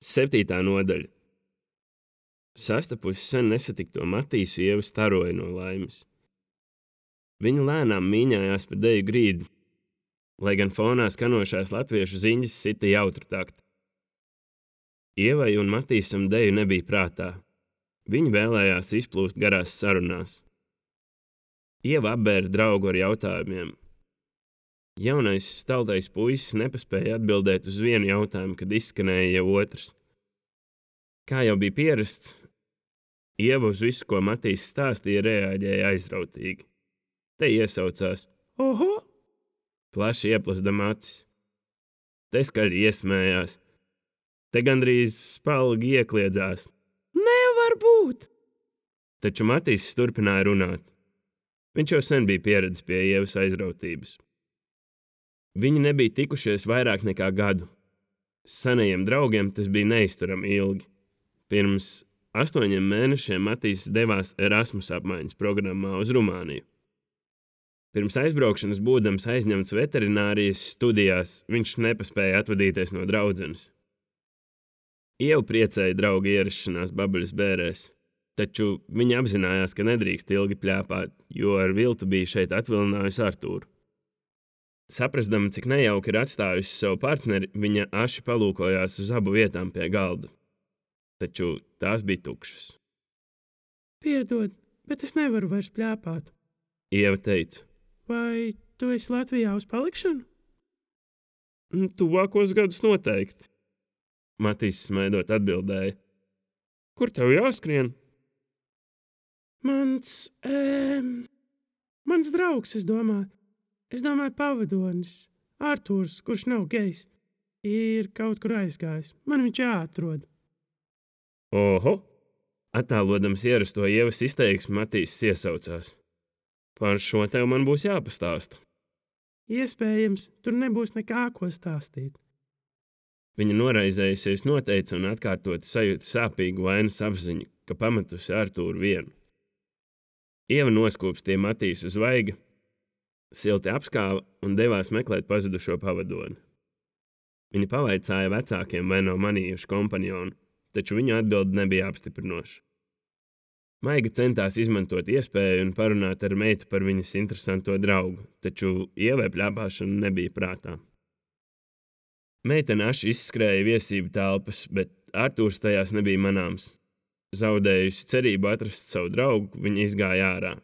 7. nodaļa. Sastapusi sen nesatikto Matīsu, Ieva staroja no laimes. Viņa lēnām mīņājās pa deju grīdu, lai gan fonā skanošās latviešu ziņas sita jautru taktu. Ievai un Matīsam deju nebija prātā. Viņi vēlējās izplūst garās sarunās. Ieva apbēra draugu ar jautājumiem. Jaunais staltais puisis nepaspēja atbildēt uz vienu jautājumu, kad izskanēja jau otrs. Kā jau bija pierasts, Ieva uz visu, ko Matīs stāstīja, reaģēja aizrautīgi. Te iesaucās: "Oho!" plaši ieplazdama acis. Te skaļi iesmējās. Te gandrīz spalgi iekliedzās. "Nevar būt!" Taču Matīs turpināja runāt. Viņš jau sen bija pieredzis pie Ievas aizrautības. Viņi nebija tikušies vairāk nekā gadu. Senajiem draugiem tas bija neizturami ilgi. Pirms 8 mēnešiem Matīs devās Erasmus apmaiņas programmā uz Rumāniju. Pirms aizbraukšanas būdams aizņemts veterinārijas studijās, viņš nepaspēja atvadīties no draudzenes. Ieva priecēja draugu ierašanās Babuļas bērēs, taču viņa apzinājās, ka nedrīkst ilgi pļāpāt, jo ar viltu bija šeit atvilinājusi Artūru. Saprastama, cik nejauki ir atstājusi savu partneri, viņa aši palūkojās uz abu vietām pie galda. Taču tās bija tukšas. Piedod, bet es nevaru vairs pļāpāt. Ieva teica: Vai tu esi Latvijā uz palikšanu? Tuvākos gadus noteikti. Matīs smaidot atbildēja: Kur tev jāskrien? Mans draugs, es domāju pavadonis, Artūrs, kurš nav gejs, ir kaut kur aizgājis. Man viņš jāatrod. Oho! Attēlodams ierasto Ievas izteiksmi, Matīs iesaucās: Par šo tev man būs jāpastāsta. Iespējams, tur nebūs nekā ko stāstīt. Viņa noraizējusies noteica un atkārtoti sajūta sāpīgu vainas apziņu, ka pametusi Artūru vienu. Ieva noskūpstīja Matīsu uz vaiga, silti apskāva un devās meklēt pazudušo pavadoni. Viņa pavaicāja vecākiem, vai nav manījuši kompanjonu, taču viņu atbilde nebija apstiprinoša. Maiga centās izmantot iespēju un parunāt ar meitu par viņas interesanto draugu, taču Ievai pļāpāšana nebija prātā. Meitene aši izskrēja viesību telpas, bet Artūrs tajās nebija manāms. Zaudējusi cerību atrast savu draugu, viņa izgāja ārā.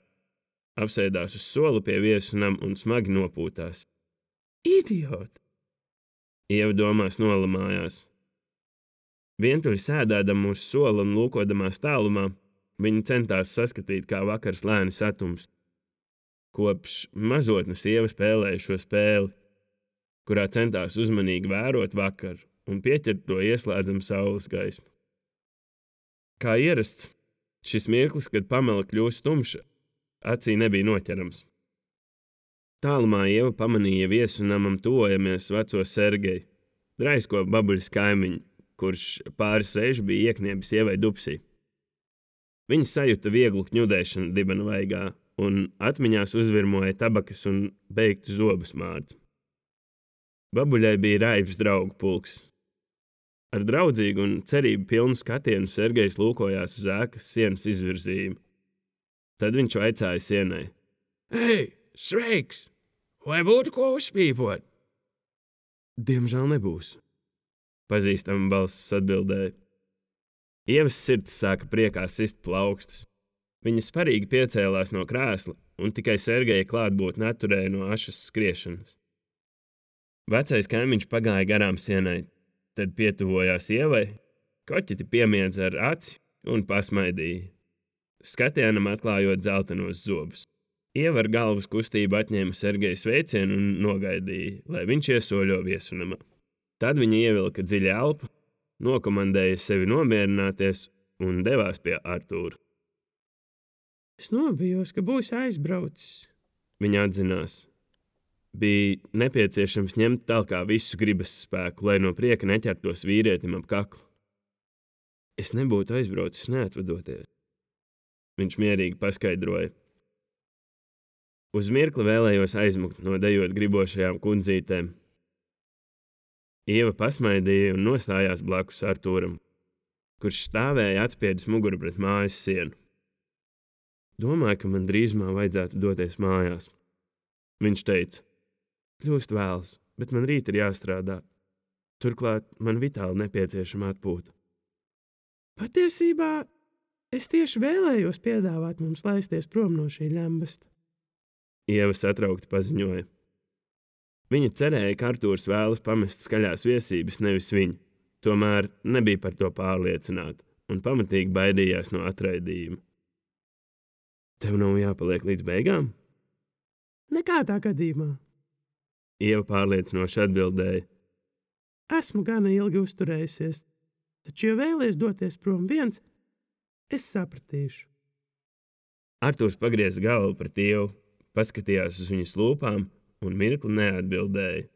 Apsēdās uz sola pie viesu nama un smagi nopūtās. Idioti! Ieva domās nolamājās. Vientuļi sēdēdama uz sola un lūkodamās tālumā, viņa centās saskatīt, kā vakars lēni satumst. Kopš mazotnes Ieva spēlēja šo spēli, kurā centās uzmanīgi vērot vakaru un pieķert to ieslēdzam saules gaismu. Kā ierasts, šis mirklis, kad pamela kļūst tumša, acī nebija noķerams. Tālumā Ieva pamanīja viesu namam tuvojamies veco Sergeju, draisko Babuļas kaimiņu, kurš pāris reižu bija iekniebis Ievai dupsī. Viņa sajuta vieglu kņudēšanu dibena vaigā un atmiņās uzvirmoja tabakas un beigtu zobu smārds. Babuļai bija raibs draugu pulks. Ar draudzīgu un cerību pilnu skatienu Sergejs lūkojās uz ēkas sienas izvirzījumu. Tad viņš vaicāja sienai: Hei, sveiks! Vai būtu ko uzpīpot? Diemžēl nebūs, pazīstama balss atbildēja. Ievas sirds sāka priekā sist plaukstus. Viņa sparīgi piecēlās no krēsla un tikai Sergeja klātbūtne atturēja no ašas skriešanas. Vecais kaimiņš pagāja garām sienai, tad pietuvojās Ievai, koķiti piemiedza ar aci un pasmaidīja, skatienam atklājot dzeltenos zobus. Ieva ar galvas kustību atņēma Sergeja sveicienu un nogaidīja, lai viņš iesoļo viesunamā. Tad viņa ievilka dziļu elpu, nokomandēja sevi nomierināties un devās pie Artūra. Es nobijos, ka būs aizbraucis. Viņa atzinās. Bija nepieciešams ņemt talkā visu gribas spēku, lai no prieka neķertos vīrietim ap kaklu. Es nebūtu aizbraucis neatvadoties. Viņš mierīgi paskaidroja. Uz mirkli vēlējos aizmukt no dejot gribošajām kundzītēm. Ieva pasmaidīja un nostājās blakus Artūram, kurš stāvēja atspiedis muguru pret mājas sienu. Domāju, ka man drīzumā vajadzētu doties mājās. Viņš teica, kļūst vēls, bet man rīt ir jāstrādā. Turklāt man vitāli nepieciešama atpūta. Patiesībā es tieši vēlējos piedāvāt mums laisties prom no šī ļambasta. Ieva satraukti paziņoja. Viņa cerēja, ka Artūrs vēlas pamest skaļās viesības, nevis viņu. Tomēr nebija par to pārliecināta un pamatīgi baidījās no atraidījuma. Tev nav jāpaliek līdz beigām? Nekādā gadījumā. Ieva pārliecinoši atbildēja. Esmu gana ilgi uzturējusies, taču, ja vēlies doties prom viens, es sapratīšu. Artūrs pagrieza galvu pret Ievu, paskatījās uz viņas lūpām un mirkli neatbildēja.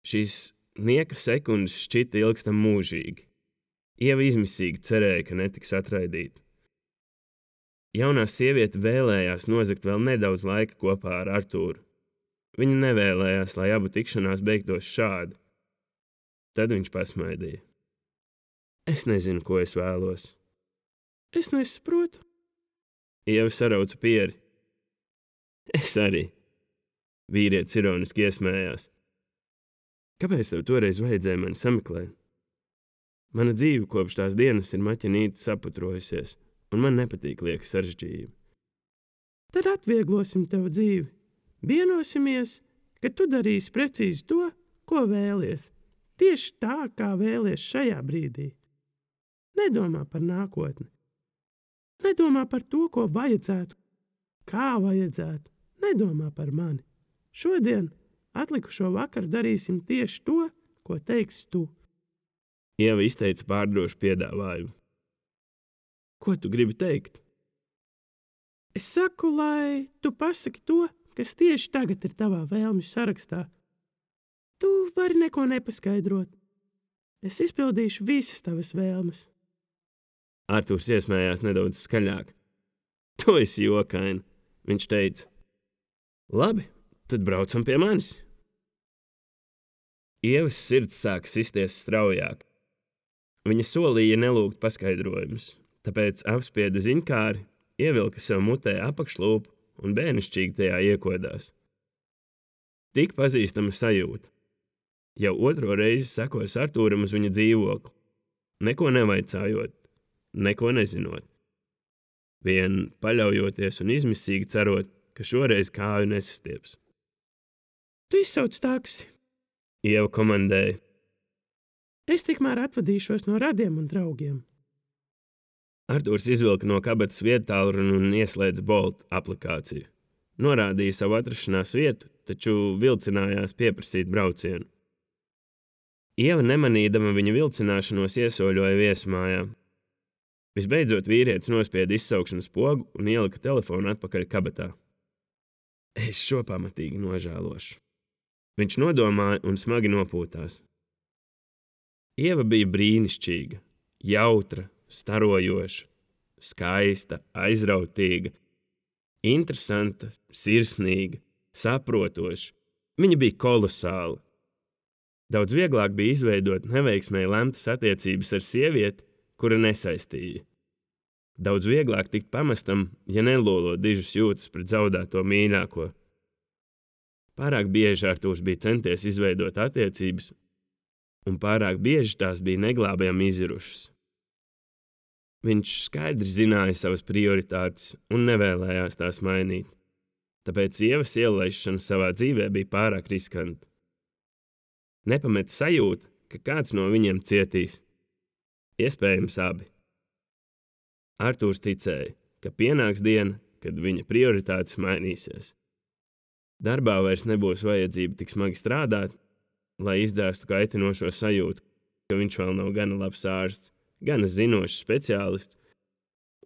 Šīs nieka sekundes šķita ilgstam mūžīgi. Ieva izmisīgi cerēja, ka netiks atraidīta. Jaunā sieviete vēlējās nozagt vēl nedaudz laika kopā ar Artūru. Viņa nevēlējās, lai abu tikšanās beigtos šādi. Tad viņš pasmaidīja. Es nezinu, ko es vēlos. Es nesaprotu. Ieva sarauca pieri. Es arī. Vīrietis ironiski iesmējās. Kāpēc tev toreiz vajadzēja mani sameklēt? Mana dzīve kopš tās dienas ir maķinīti saputrojusies, un man nepatīk lieka sarežģījumi. Tad atvieglosim tev dzīvi. Vienosimies, ka tu darīsi precīzi to, ko vēlies. Tieši tā, kā vēlies šajā brīdī. Nedomā par nākotni. Nedomā par to, ko vajadzētu, kā vajadzētu. Nedomā par mani. Šodien, atlikušo vakaru darīsim tieši to, ko teiksi tu. Ieva izteica pārdrošu piedāvājumu. Ko tu gribi teikt? Es saku, lai tu pasaki to, kas tieši tagad ir tavā vēlmju sarakstā. Tu vari neko nepaskaidrot. Es izpildīšu visas tavas vēlmes. Artūrs iesmējās nedaudz skaļāk. Tu esi jokaini, viņš teica. Labi, tad braucam pie manis. Ievas sirds sāka sisties straujāk. Viņa solīja nelūgt paskaidrojumus, tāpēc apspieda ziņkāri, ievilka sev mutē apakšlūpu un bērnišķīgi tajā iekodās. Tik pazīstama sajūta. Jau otro reizi sekos Artūram uz viņa dzīvokli, neko nevaicājot, neko nezinot. Vien paļaujoties un izmisīgi cerot, ka šoreiz kāju nesastieps. Tu izsauc taksi. Ieva komandēja. Es tikmēr atvadīšos no radiem un draugiem. Artūrs izvilka no kabatas vietālruni un ieslēdza Bolt aplikāciju. Norādīja savu atrašanās vietu, taču vilcinājās pieprasīt braucienu. Ieva nemanīdama viņa vilcināšanos iesoļoja viesmājā. Visbeidzot vīrietis nospieda izsaukšanas pogu un ielika telefonu atpakaļ kabatā. Es šo pamatīgi nožēlošu. Viņš nodomāja un smagi nopūtās. Ieva bija brīnišķīga, jautra, starojoša, skaista, aizrautīga, interesanta, sirsnīga, saprotoša. Viņa bija kolosāla. Daudz vieglāk bija izveidot neveiksmēji lemtas attiecības ar sievieti, kura nesaistīja. Daudz vieglāk tikt pamestam, ja nelolo dižas jūtas pret zaudēto mīļāko. Pārāk bieži Artūrs bija centies izveidot attiecības, un pārāk bieži tās bija neglābjami izirušas. Viņš skaidri zināja savas prioritātes un nevēlējās tās mainīt, tāpēc Ievas ielaišana savā dzīvē bija pārāk riskanta. Nepamet sajūta, ka kāds no viņiem cietīs. Iespējams abi. Artūrs ticēja, ka pienāks diena, kad viņa prioritātes mainīsies. Darbā vairs nebūs vajadzība tik smagi strādāt, lai izdzēstu kaitinošo sajūtu, ka viņš vēl nav gana labs ārsts, gana zinošs speciālists,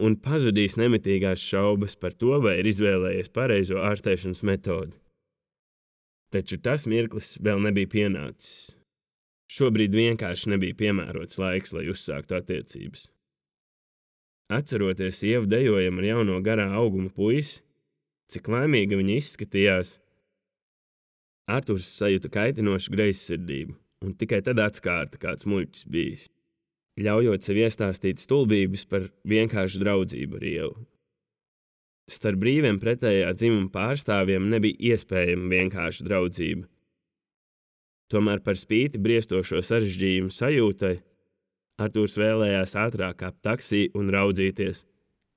un pazudīs nemitīgās šaubas par to, vai ir izvēlējies pareizo ārstēšanas metodi. Taču tas mirklis vēl nebija pienācis. Šobrīd vienkārši nebija piemērots laiks, lai uzsāktu attiecības. Atceroties Ievu dejojumu ar jauno garā auguma puisi, cik laimīga viņa izskatījās, Artūrs sajuta kaitinošu greizsirdību un tikai tad atskārta kāds muļķis bijis, ļaujot sev iestāstīt stulbības par vienkāršu draudzību ar Ievu. Starp brīviem pretējā dzimuma pārstāvjiem nebija iespējama vienkārša draudzība. Tomēr par spīti briestošo sarežģījumu sajūtai, Artūrs vēlējās ātrāk kāpt taksī un raudzīties,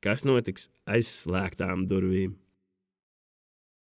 kas notiks aiz slēgtām durvīm.